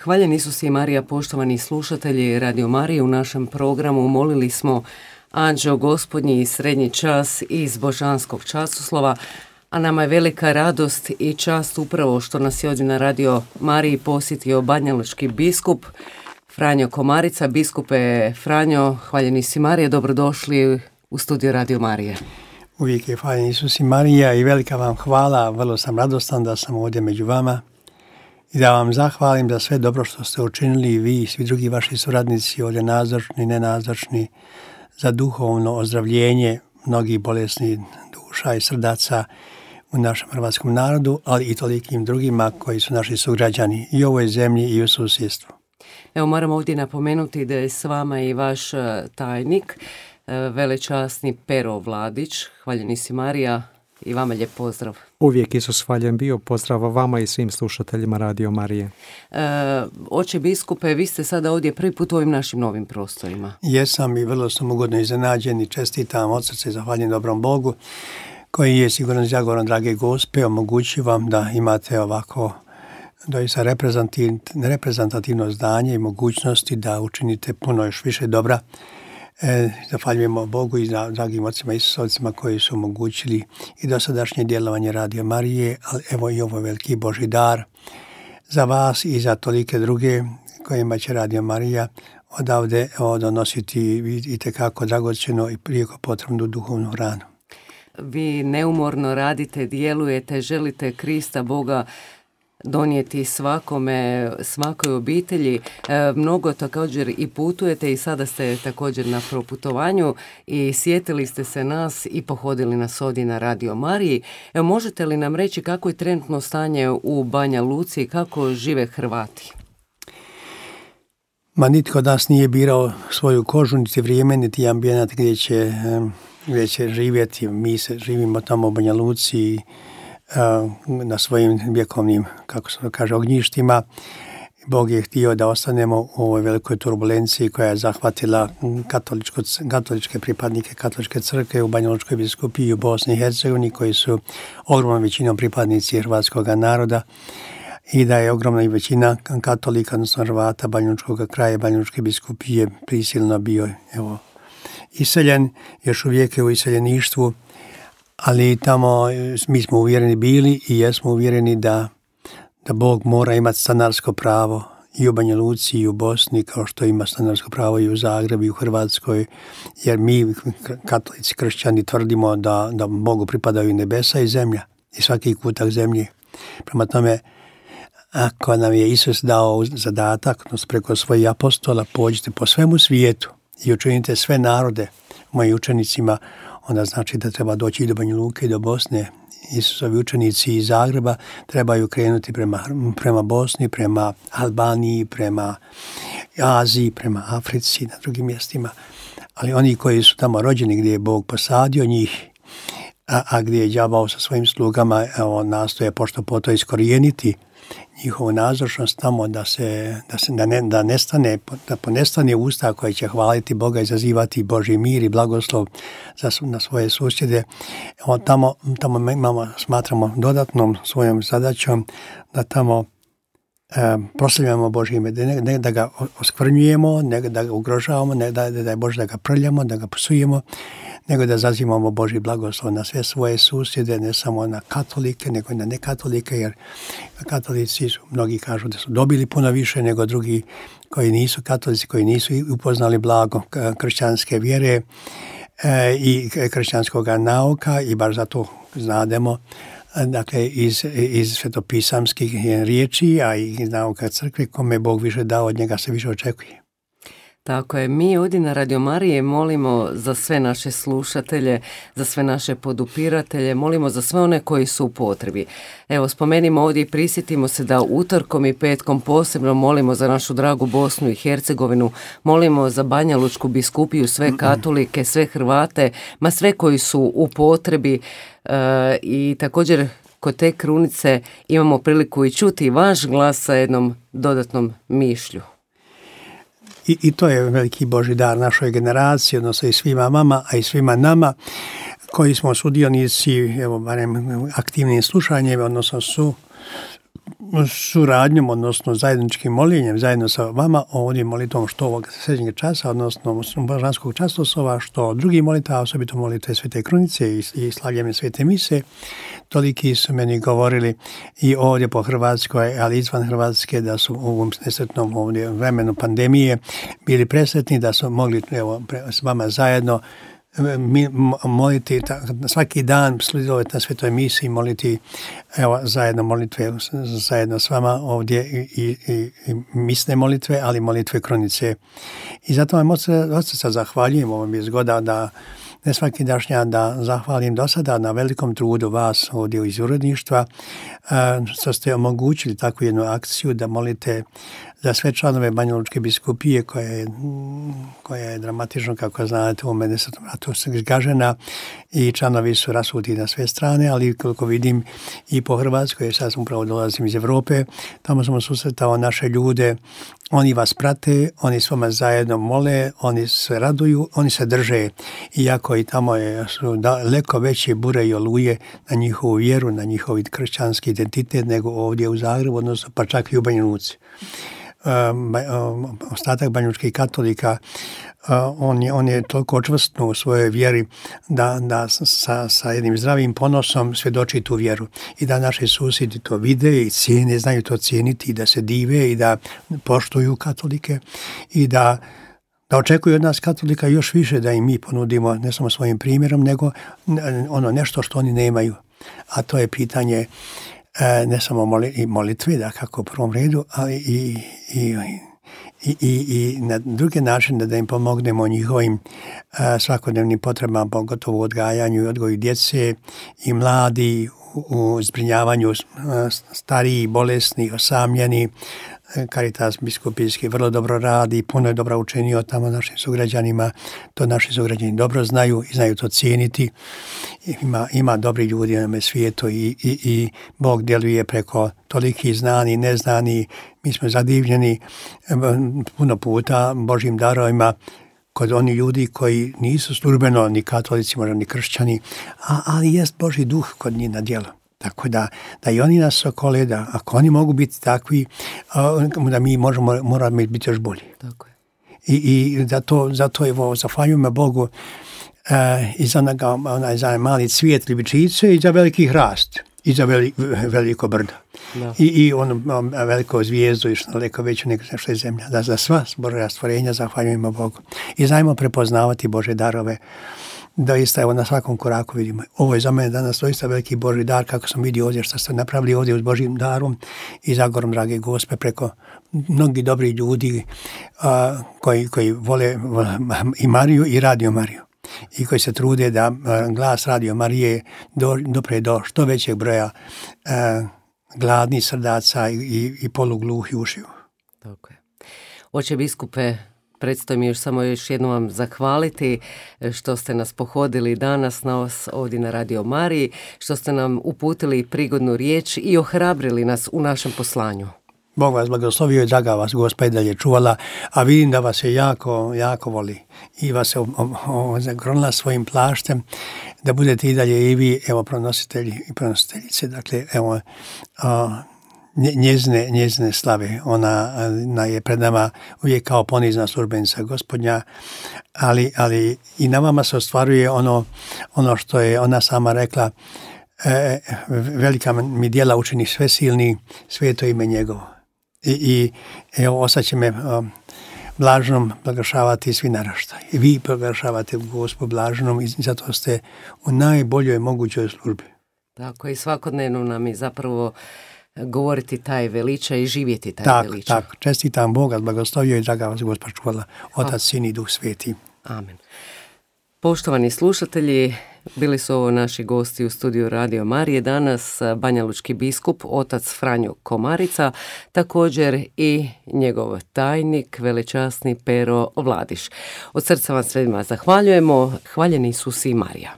Hvaljen Isus i Marija, poštovani slušatelji Radio Marije. U našem programu molili smo Anđeo Gospodnji i srednji čas iz Božanskog časoslova, a nama je velika radost i čast upravo što nas je ovdje na Radio Mariji posjetio banjalučki biskup Franjo Komarica. Biskupe Franjo, hvaljen Isus i Marija, dobrodošli u studio Radio Marije. Uvijek je hvaljen Isus i Marija i velika vam hvala, vrlo sam radostan da sam ovdje među vama i da vam zahvalim za sve dobro što ste učinili i vi i svi drugi vaši suradnici ovdje nazočni, nenazočni, za duhovno ozdravljenje mnogih bolesnih duša i srdaca u našem hrvatskom narodu, ali i tolikim drugima koji su naši sugrađani i u ovoj zemlji i u susjedstvu. Evo, moram ovdje napomenuti da je s vama i vaš tajnik, velečasni Pero Vladić. Hvaljen Isus i Marija, i vama lijep pozdrav. Uvijek Isus hvaljen bio, pozdrav vama i svim slušateljima Radio Marije. Oče biskupe, vi ste sada ovdje prvi put u ovim našim novim prostorima. Jesam i vrlo sam ugodno iznenađen i čestitam od srca i zahvaljujem dobrom Bogu koji je sigurno zagovorom drage Gospe omogući vam da imate ovako doista reprezentativno zdanje i mogućnosti da učinite puno još više dobra. Zahvaljujemo Bogu i dragim ocima i Isusovcima koji su omogućili i dosadašnje djelovanje Radio Marije, ali evo i ovo veliki Božji dar za vas i za tolike druge kojima će Radio Marija odavde donositi itekako dragocjeno i prijeko potrebnu duhovnu hranu. Vi neumorno radite, djelujete, želite Krista Boga donijeti svakoj obitelji. Mnogo također i putujete i sada ste također na proputovanju i sjetili ste se nas i pohodili nas ovdje na Radio Mariji. Evo, možete li nam reći kako je trenutno stanje u Banja Luci i kako žive Hrvati? Nitko od nas nije birao svoju kožu, niti vrijeme, niti ambijent gdje će živjeti. Mi se živimo tamo u Banja Luci na svojim vjekovnim, kako se kaže, ognjištima. Bog je htio da ostanemo u ovoj velikoj turbulenciji koja je zahvatila katoličke pripadnike katoličke crkve u Banjalučkoj biskupiji u Bosni i Hercegovini, koji su ogromnom većinom pripadnici hrvatskog naroda, i da je ogromna i većina katolika, odnosno Hrvata Banjalučkog kraja, Banjalučke biskupije prisilno bio iseljen, još uvijek je u iseljeništvu. Ali tamo mi smo uvjereni bili i jesmo uvjereni da Bog mora imati stanarsko pravo i u Banja Luci i u Bosni, kao što ima stanarsko pravo i u Zagrebu i u Hrvatskoj, jer mi katolici kršćani tvrdimo da Bogu pripadaju nebesa i zemlja i svaki kutak zemlje. Prema tome, ako nam je Isus dao zadatak, odnosno preko svojih apostola, pođite po svemu svijetu i učinite sve narode mojim učenicima, onda znači da treba doći i do Banja Luke i do Bosne. Isusovi učenici iz Zagreba trebaju krenuti prema Bosni, prema Albaniji, prema Aziji, prema Africi, na drugim mjestima. Ali oni koji su tamo rođeni, gdje je Bog posadio njih, a gdje je đavao sa svojim slugama, nastoje pošto po to iskorijeniti njihovu nazočnost tamo, da ponestane usta koje će hvaliti Boga i zazivati Božji mir i blagoslov na svoje susjede. Tamo smatramo dodatnom svojom zadaćom da tamo proslavljamo Božje ime, ne da ga oskvrnjujemo, ne da ga ugrožavamo, ne da je Bože da ga prljamo, da ga psujemo, nego da zazivamo Božji blagoslov na sve svoje susjede, ne samo na katolike, nego i na nekatolike, jer katolici mnogi kažu da su dobili puno više nego drugi koji nisu katolici, koji nisu upoznali blago kršćanske vjere i kršćanskog nauka, i baš zato znademo, dakle, iz svetopisamskih riječi, a i iz nauka crkve, kome Bog više dao, od njega se više očekuje. Tako je, mi ovdje na Radio Marije molimo za sve naše slušatelje, za sve naše podupiratelje, molimo za sve one koji su u potrebi. Evo, spomenimo ovdje i prisjetimo se da utorkom i petkom posebno molimo za našu dragu Bosnu i Hercegovinu, molimo za Banjalučku biskupiju, sve katolike, sve Hrvate, sve koji su u potrebi, i također kod te krunice imamo priliku i čuti vaš glas sa jednom dodatnom mišlju. I to je veliki Božji dar našoj generaciji, odnosno i svima vama, a i svima nama koji smo sudionici, evo barem aktivnim slušanjem, odnosno suradnjom, odnosno zajedničkim moljenjem, zajedno sa vama, ovdje molitvom što ovog srednjeg časa, odnosno božanskog časosova, što drugi molita, osobito molitve Svete Krunice i slavljene Svete Mise, toliki su meni govorili i ovdje po Hrvatskoj, ali izvan Hrvatske, da su u ovom nesretnom ovdje vremenu pandemije bili presretni, da su mogli s vama zajedno moliti svaki dan, sudjelovati na Svetoj Misi, moliti zajedno molitve zajedno s vama ovdje i misne molitve, ali molitve Krunice. I zato vam od srca zahvaljujem, ovo mi je zgoda da ne svaki dašnjan da zahvalim do sada na velikom trudu vas ovdje iz uredništva, što ste omogućili takvu jednu akciju da molite za sve članove Banjalučke biskupije koja je dramatično, kako znate, u Medvedesetom ratu zgažena i članovi su rasuti na sve strane, ali koliko vidim i po Hrvatskoj, jer sad upravo dolazim iz Evrope, tamo sam susretao naše ljude, oni vas prate, oni s vama zajedno mole, oni se raduju, oni se drže, iako i tamo su daleko veće bure i oluje na njihovu vjeru, na njihov kršćanski identitet nego ovdje u Zagrebu, odnosno pa čak i u Banja Luci. Ostatak banjalučkih katolika, on je toliko čvrstno u svojoj vjeri da sa jednim zdravim ponosom svjedoči tu vjeru i da naši susjedi to vide i cijene, znaju to cijeniti i da se dive i da poštuju katolike i da očekuju od nas katolika još više da im mi ponudimo ne samo svojim primjerom nego nešto što oni nemaju, a to je pitanje ne samo molitve, da kako u prvom redu, ali i na druge načine da im pomognemo njihovim svakodnevnim potrebama, pogotovo u odgajanju i odgoju djece i mladi, u zbrinjavanju starijih, bolesnih, osamljenih. Caritas biskupijski vrlo dobro radi, puno je dobro učinio tamo našim sugrađanima, to naši sugrađani dobro znaju i znaju to cijeniti. Ima dobri ljudi na ovome svijetu i Bog djeluje preko toliki znani, neznani. Mi smo zadivljeni puno puta Božjim darovima kod oni ljudi koji nisu službeno ni katolici, možda ni kršćani, ali jest Božji duh kod njih na djelu. Tako da i oni nas okole, da ako oni mogu biti takvi, da mi moramo biti još bolji. Tako je. I zato evo, zahvaljujemo Bogu i za mali cvijet ljubičice i za veliki hrast i za veliko brdo. Da. I veliko zvijezdu i što daleko veću nego što je zemlja. Da za sva Božja stvorenja zahvaljujemo Bogu. I znajmo prepoznavati Božje darove. Doista, evo na svakom koraku vidimo. Ovo je za mene danas doista veliki Božji dar, kako sam vidio ovdje što ste napravili ovdje uz Božjim darom i zagorom, drage Gospe, preko mnogi dobri ljudi koji vole i Mariju i Radio Mariju i koji se trude da glas Radio Marije dopre do što većeg broja gladnih srdaca i polugluhih ušiju. Tako je. Oče biskupe, predstoji mi još jednom vam zahvaliti što ste nas pohodili danas ovdje na Radio Mariji, što ste nam uputili prigodnu riječ i ohrabrili nas u našem poslanju. Bog vas blagoslovio i draga vas Gospa i dalje čuvala, a vidim da vas je jako, jako voli i vas je zagronila svojim plaštem da budete i dalje i vi, evo, pronositelji i pronositeljice. Dakle, evo, njezine slave. Ona je pred nama uvijek kao ponizna službenica Gospodnja, ali i na vama se ostvaruje ono što je ona sama rekla, velika mi djela učini sve silni, sveto ime njegovo. I evo, ostat će me blaženom proglašavati svi naraštaji. I vi proglašavate Gospu blaženom i zato ste u najboljoj mogućoj službi. Tako i svakodnevno nam je zapravo govoriti taj veličaj i živjeti taj veličaj. Tako, čestitam Boga, blagoslovio i draga vas Gospa čuvala, Otac, Sin i Duh Sveti. Amen. Poštovani slušatelji, bili su ovo naši gosti u studiju Radio Marije. Danas banjalučki biskup, otac Franjo Komarica, također i njegov tajnik, velečasni Pero Vladiš. Od srca vam svima zahvaljujemo. Hvaljeni Isus i Marija.